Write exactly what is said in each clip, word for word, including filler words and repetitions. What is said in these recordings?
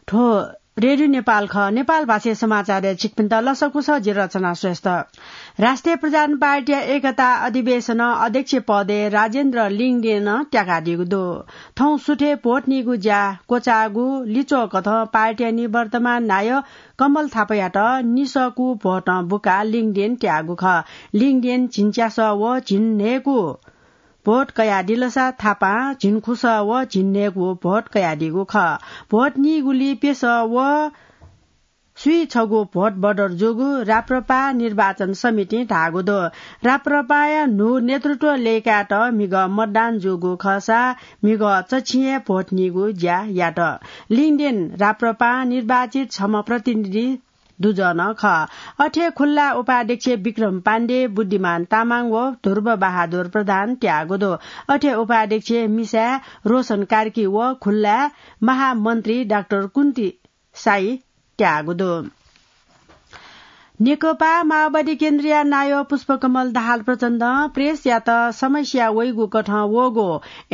थ्व रेडियो नेपाल खः। नेपाल भाषाय् समाचारय् छिकपिन्त लसकुस, जि रचना श्रेष्ठ। राष्ट्रिय प्रजातन्त्र पार्टीया एकता अधिवेशनं अध्यक्ष पदय् राजेन्द्र लिङदेनं त्याकादीगु दु। थौं सुथय् भोट नीगु ज्या क्वचाःगु लिच्वः कथं पार्टीया निवर्तमान नायः कमल थापायात निसःकू भोटं बुकाः लिङदेन त्याःगु खः। लिङदेन झिंच्यासः व झिंन्हय्‌गू भोट कयादिलसा थापां झिंखुसः व झिंन्हय्‌गू भोट कयादीगु खः। भोट नीगुली प्यसः व स्वीछगू भोट बढर जूगु राप्रपा निर्वाचन समितिं धाःगु दु। राप्रपाया न्हू नेतृत्व लय्‌कायेत म्हिगः मतदान जूगु खःसा म्हिगः चच्छिं हे भोट नीगु ज्या यात। लिङदेन राप्रपां निर्वाचित छम्ह प्रतिनिधि दुजः नं खः। अथे खुल्ला उपाध्यक्ष विक्रम पाण्डे, बुद्धिमान तामाङ व ध्रुव बहादुर प्रधान त्याःगु दु। अथे उपाध्यक्ष मिसाय् रोशन कार्की व खुल्ला महामन्त्री डाक्टर कुन्ती साई त्याःगु दु। नेकपा माओवादी केन्द्रया नायः पुष्पकमल दाहाल प्रचण्डं प्रेसयात समस्या वइगु कथं वःगु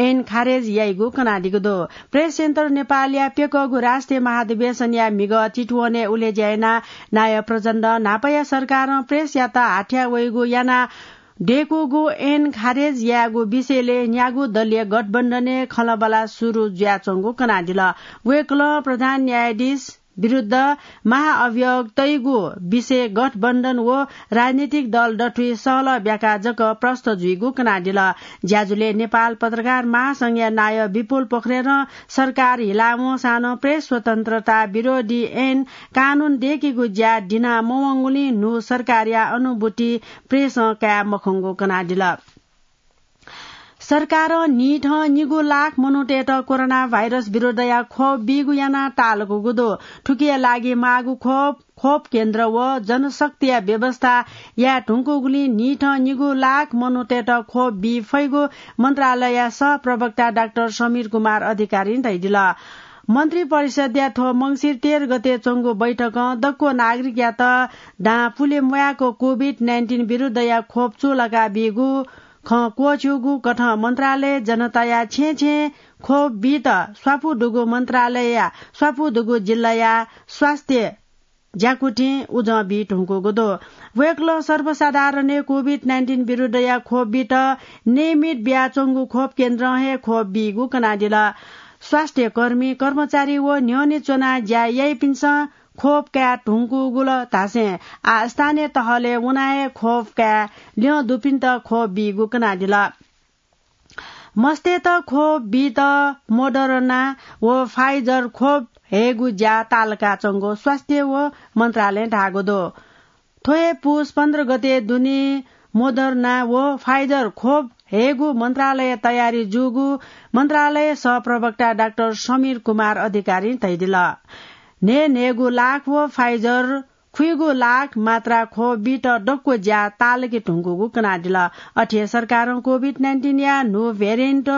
ऐन खारेज याइगु कनादीगु दु। प्रेस सेन्टर नेपालया प्यकःगु राष्ट्रिय महाधिवेशनया म्हिगः चितवनय् उलेज्या यानाः नायः प्रचण्डं न्हापाया सरकारं प्रेसयात हाथ्या वइगु यानाः दय्‌कूगु ऐन खारेज यायेगु विषयलय् न्यागू दलीय गठबन्धनय् खँल्हाबल्हा सुरु जुयाच्वंगु कनादिल। वय्‌कलं प्रधान न्यायाधीश विरुद्ध महाअभियोग तइगु विषय गठबन्धन व राजनीतिक दल दथुइ सहलह ब्याका जक प्रष्ट जुइगु कनादिल। ज्याझ्वलय् नेपाल पत्रकार महासंघया नायः विपुल पोखरेलं सरकार हिला वंसां नं प्रेस स्वतन्त्रता विरोधी ऐन कानून दय्‌केगु ज्या दिना मवंगुलिं न्हू सरकारया अनुभूति प्रेसं काये मखंगु कनादिल। सरकारं न्हिथं निगू लाख मनूतय्‌त कोरोना भाइरस विरुद्धया खोप बीगु यानाः ताःलाकूगु दु। थुकिया लागि माःगु खोप, खोप केन्द्र व जनशक्तिया व्यवस्था याये धुंकूगुलिं न्हिथं निगू लाख मनूतय्‌त खोप बी फइगु मन्त्रालयया सहप्रवक्ता डाक्टर समीर कुमार अधिकारीं धयादिल। मन्त्री परिषद्या थ्व मंसिर तेह्र गते च्वंगु बैठकं दक्व नागरिकयात दां पुले म्वायेक कोभिड नाइन्टिन विरुद्धया खोप चूलाका बीगु खँ क्वःछ्यूगु कथं मन्त्रालय जनताया छेँय् छेँय् खोप बीत स्वापू दुगु मन्त्रालयया स्वापू दुगु जिल्लाया स्वास्थ्य ज्याकुथिं उजं बी धुंकूगु दु। वय्‌कलं सर्वसाधारणय् कोभिड नाइन्टिन विरुद्धया खोप बीत नियमित बियाच्वंगु खोप केन्द्रं हे खोप बीगु कनादिल। स्वास्थ्य कर्मी, कर्मचारी व न्ह्यःने च्वनाः ज्या याइपिन्सं खोप काये धुंकूगु ल धासें आः स्थानीय तहलय् वनाः हे खोप काये ल्यं दुपिन्त खोप बीगु कनादिल। मस्तय्‌त खोप बीत मोडर्ना व फाइजर खोप हयेगु ज्या ताःलाकाच्वंगु स्वास्थ्य व मन्त्रालयं धाःगु दु। थ्व हे पुस पन्ध्र गते दुने मोडर्ना व फाइजर खोप हयेगु मन्त्रालय तयारी जूगु मन्त्रालय सहप्रवक्ता डाक्टर समीर कुमार अधिकारीं धयादिल। न्हय्‌न्हय्‌गू लाख व फाइजर खुइगू लाख मात्रा खोप बीत दक्व ज्या ताःलाके धुंकूगु कनादिल। अथे सरकारं कोभिड नाइन्टिनया न्हू भेरिएन्ट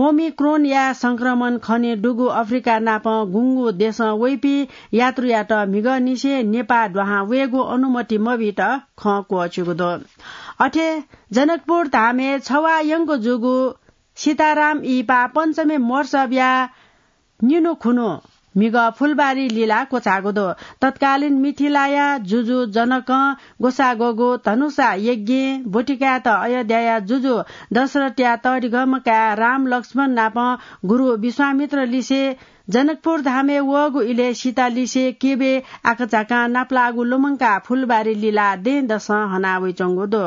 ओमिक्रोनया संक्रमण खने दुगु अफ्रिका नापं गुंगू देशं वइपिं यात्रुयात म्हिगःनिसें नेपाः दुहां वयेगु अनुमति मबीत खँ क्वःछ्यूगु दु। अथे जनकपुर धामय् छवाः यंक जूगु सीताराम इहिपा पञ्चमी महोत्सवया निन्हु खुन्हु म्हिगः फुलबारी लिला क्वचाःगु दु। तत्कालीन मिथिलाया जुजु जनकं ग्वसाः ग्वःगु धनुषा यज्ञय् ब्वति कायेत अयोध्याया जुजु दशरथया तःधिकःम्ह काय् राम लक्ष्मण नाप गुरु विश्वामित्र लिसे जनकपुर धामय् वःगु इलय् सीता लिसे केबे आकाझाकां नापलाःगु लुमंकाः फुलबारी लिला दँय्‌दसं हना वइच्वंगु दु।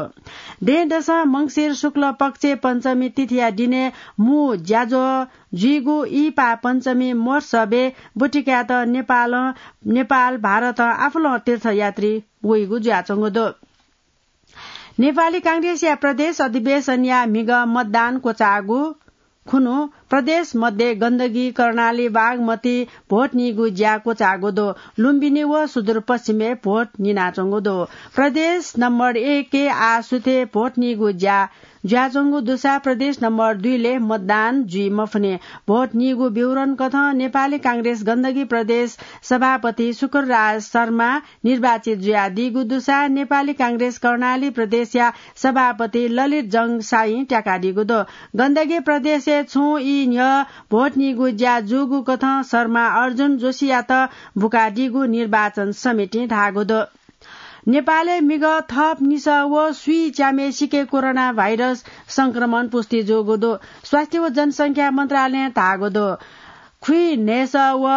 दँय्‌दसं मंसिर शुक्ल पक्षय् पञ्चमी तिथिया दिनय् मू ज्याझ्वः जुइगु इहिपा पञ्चमी महोत्सवय् ब्वति कायेत नेपालं, नेपाल, भारतं आपालं तीर्थयात्री वइगु जुयाच्वंगु दु। नेपाली कांग्रेसया प्रदेश अधिवेशनया म्हिगः मतदान क्वचाःगु खुन्हु प्रदेश मध्ये गण्डकी, कर्णाली, बागमती भोट नीगु ज्या क्वचाःगु दु। लुम्बिनी व सुदूरपश्चिमय् भोट निनाच्वंगु दु। प्रदेश नम्बर एकय् आः सुथय् भोट नीगु ज्या जुयाच्वंगु दुसा प्रदेश नम्बर दुईलय् मतदान जुइ मफुनि। भोट नीगु विवरण कथं नेपाली कांग्रेस गण्डकी प्रदेश सभापति शुक्रराज शर्मा निर्वाचित जुयादीगु दुसा नेपाली कांग्रेस कर्णाली प्रदेशया सभापति ललित जंग साईं त्याकादीगु दु। गण्डकी प्रदेशय् छुं ई न्ह्यः भोट नीगु ज्या जूगु कथं शर्मा अर्जुन जोशीयात बुकादीगु निर्वाचन समितिं धाःगु दु। नेपालय् म्हिगः थप निसः व स्वीच्याम्हय्‌सिके कोरोना भाइरस संक्रमण पुष्टि जूगु दु। स्वास्थ्य व जनसंख्या मन्त्रालयं धाःगु दु। खुइन्हय्‌सः व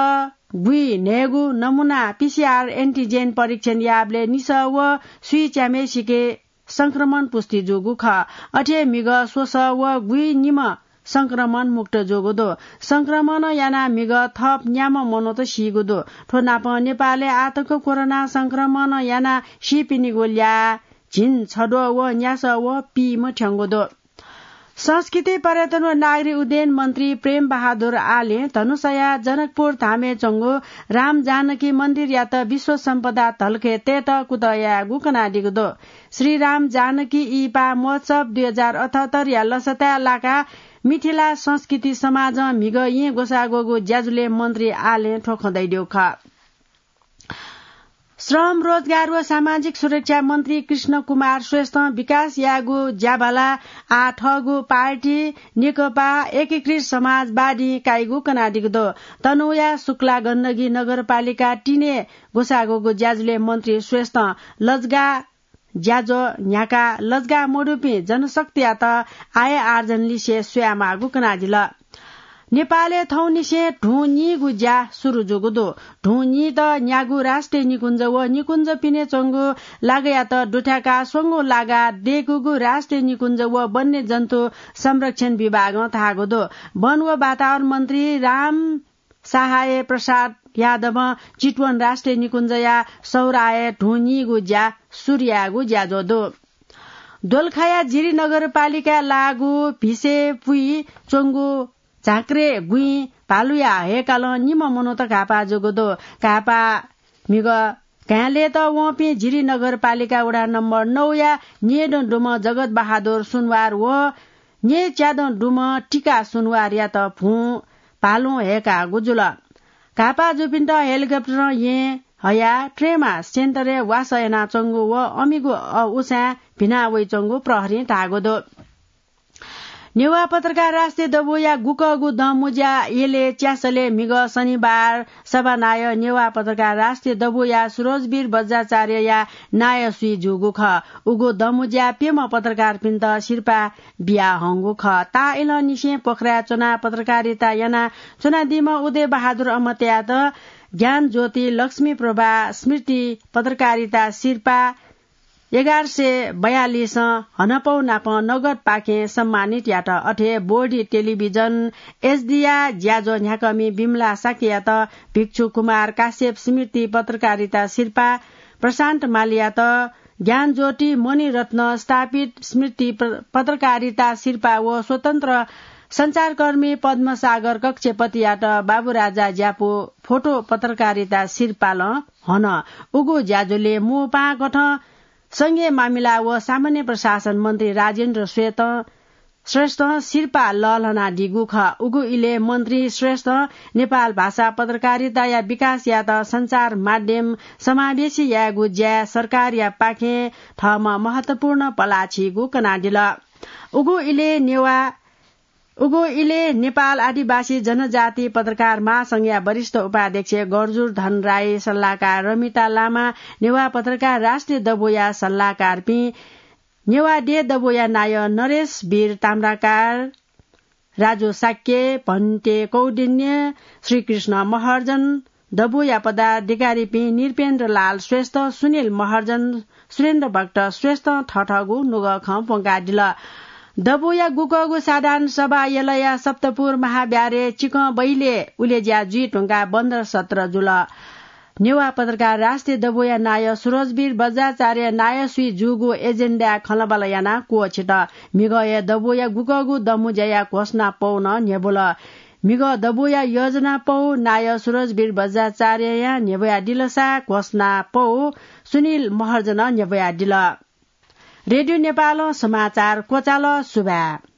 गुइन्हय्‌गु नमूना पीसीआर एन्टिजेन परीक्षण याःबलय् निसः व स्वीच्याम्हय्‌सिके संक्रमण पुष्टि जूगु खः। अथे म्हिगः स्वसः व गुइनिम्ह संक्रमण मुक्त जूगु दु। संक्रमण यानाः म्हिगः थप न्याम्ह मनूत सीगु दु। थ्व नापं नेपालय् आःतक कोरोना संक्रमण यानाः सीपिनिगु ल्याः झिंछद्वः व न्यासः व पीम्ह थ्यंगु दु। संस्कृति, पर्यटन व नागरिक उड्डयन मन्त्री प्रेम बहादुर आलें धनुषाया जनकपुर धामय् च्वंगु राम जानकी मन्दिरयात विश्व सम्पदा धलखय् तयेत कुतः यायेगु कनादीगु दु। श्री राम जानकी इहिपा महोत्सव दुई हजार अठहत्तरया लसताय् लाकाः मिथिला संस्कृति समाजं म्हिगः येँ ग्वसाः ग्वःगु ज्याझ्वलय् मन्त्री आलें थ्व खँ धयादीगु खः। श्रम, रोजगार व सामाजिक सुरक्षा मन्त्री कृष्ण कुमार श्रेष्ठं विकास यायेगु ज्याभाला आः थःगु पार्टी नेकपा एकीकृत समाजवादीं काइगु कनादीगु दु। तनहुँया शुक्ला गण्डकी नगरपालिका तीनय् ग्वसाः ग्वःगु ज्याझ्वलय् मन्त्री श्रेष्ठं लजगाः ज्याझ्वः न्ह्याकाः लजगाः मदुपिं जनशक्तियात आय आर्जन लिसे स्वयामाःगु कनादिल। नेपालय् थौंनिसें धुं नीगु ज्या सुरु जूगु दु। धुं नीत न्यागू राष्ट्रिय निकुञ्ज व निकुञ्ज पिने च्वंगु लागायात दुथ्याकाः स्वंगू लागा दय्‌कूगु राष्ट्रिय निकुञ्ज व वन्यजन्तु संरक्षण विभागं धाःगु दु। वन व वातावरण मन्त्री राम सहाय प्रसाद यादवं चितवन राष्ट्रिय निकुञ्जया सौराय् धुं नीगु ज्या सुरु यायेगु ज्याझ्वः दु। दोलखाया जिरी नगरपालिकाय् लाःगु भिसे पुइ च्वंगु झाँक्रे गुँइ भालुया हय्‌कालं निम्ह मनूत घाःपाः जूगु दु। घाःपाः म्हिगः घाँय् लयेत वंपिं जिरी नगरपालिका वडा नम्बर नौया न्येदँ दुम्ह जगत बहादुर सुनवार व न्येच्यादँ दुम्ह टिका सुनवारयात भुं भालुं हय्‌काःगु जुल। घाःपाः जूपिन्त हेलिकप्टरं येँ हयाः ट्रमा सेन्टरय् वासः यानाच्वंगु व अमिगु अ, उसाँय् भिना वइच्वंगु प्रहरीं धाःगु दु। नेवाः पत्रकार राष्ट्रिय दबूया गुकःगु दँमुँज्या यलय् च्यासलय् म्हिगः शनिबार सभानायः नेवाः पत्रकार राष्ट्रिय दबूया सुरजवीर बज्राचार्यया नायःसुइ जूगु खः। उगु दँमुँज्याय् प्यम्ह पत्रकारपिन्त सिरपाः बियाहंगु खः। ताःइलंनिसें पोखराय् च्वनाः पत्रकारिता यानाच्वनादीम्ह उदय बहादुर अमतयात ज्ञानज्योति लक्ष्मी प्रभा स्मृति पत्रकारिता सिरपाः एघार सय बयालिसं हनापौ नाप नगदपाखें सम्मानित यात। अथे बोधि टेलिभिजन एचडीया ज्याझ्वः न्ह्याकःमि विमला शाक्ययात भिक्षु कुमार काश्यप स्मृति पत्रकारिता सिरपाः, प्रशान्त मालीयात ज्ञानज्योति मणिरत्न स्थापित स्मृति प्र-, पत्रकारिता सिरपाः व स्वतन्त्र सञ्चारकर्मी पद्मसागर कक्षपतियात बाबुराजा ज्यापु फोटो पत्रकारिता सिरपालं हन। उगु ज्याझ्वलय् मू पाहां कथं संघीय मामिला व सामान्य प्रशासन मन्त्री राजेन्द्र श्वेत श्रेष्ठं सिरपाः लःल्हानादीगु खः। उगु इलय् मन्त्री श्रेष्ठं नेपाल भाषा पत्रकारिताया विकास यायेत सञ्चार माध्यम समावेशी यायेगु ज्याय् सरकारया पाखें थःम्हं महत्वपूर्ण पलाः छीगु कनादिल। उगु इलय् नेवाः, उगु इलय् नेपाल आदिवासी जनजाति पत्रकार महासंघया वरिष्ठ उपाध्यक्ष गर्जुर धन राई, सल्लाहकार रमिता लामा, नेवाः पत्रकार राष्ट्रिय दबूया सल्लाहकारपिं, नेवाः देय् दबूया नायः नरेश वीर ताम्राकार, राजु शाक्य, भन्ते कौडिन्य, श्रीकृष्ण महर्जन, दबूया पदाधिकारीपिं नृपेन्द्र लाल श्रेष्ठ, सुनिल महर्जन, सुरेन्द्र भक्त श्रेष्ठं थःथःगु नुगः खँ प्वंकादिल। दबूया गुकःगु साधारण सभा यलया सप्तपुर महाब्याहारय् चिकं बहिलय् उलेज्या जुइ धुंकाः बन्द सत्र जुल। नेवाः पत्रकार राष्ट्रिय दबूया नायः सुरजवीर बज्राचार्य नायःसुइ जूगु एजेन्डाय् खँल्हाबल्हा यानाः क्वःछित। म्हिगः हे दबूया गुकःगु दँमुँज्याया घोषणा पौ नं न्ह्यब्वल। म्हिगः दबूया योजना पौ नायः सुरजवीर बज्राचार्ययां न्ह्यब्वयादिलसा घोषणा पौ सुनिल महर्जनं न्ह्यब्वयादिल। रेडियो नेपालं समाचार क्वचाल। सुभाय्।